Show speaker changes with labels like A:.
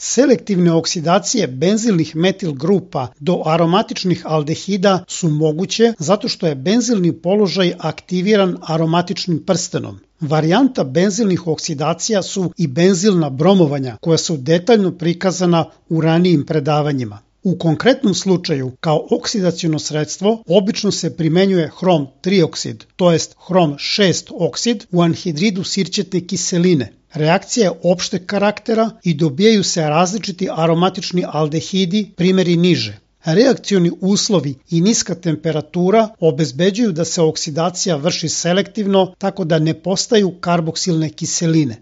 A: Selektivne oksidacije benzilnih metil grupa do aromatičnih aldehida su moguće zato što je benzilni položaj aktiviran aromatičnim prstenom. Varijanta benzilnih oksidacija su i benzilna bromovanja koja su detaljno prikazana u ranijim predavanjima. U konkretnom slučaju, kao oksidaciono sredstvo, obično se primenjuje hrom 3 oksid, to jest hrom 6 oksid u anhidridu sirćetne kiseline. Reakcija je opšteg karaktera i dobijaju se različiti aromatični aldehidi, primjeri niže. Reakcioni uslovi i niska temperatura obezbeđuju da se oksidacija vrši selektivno tako da ne postaju karboksilne kiseline.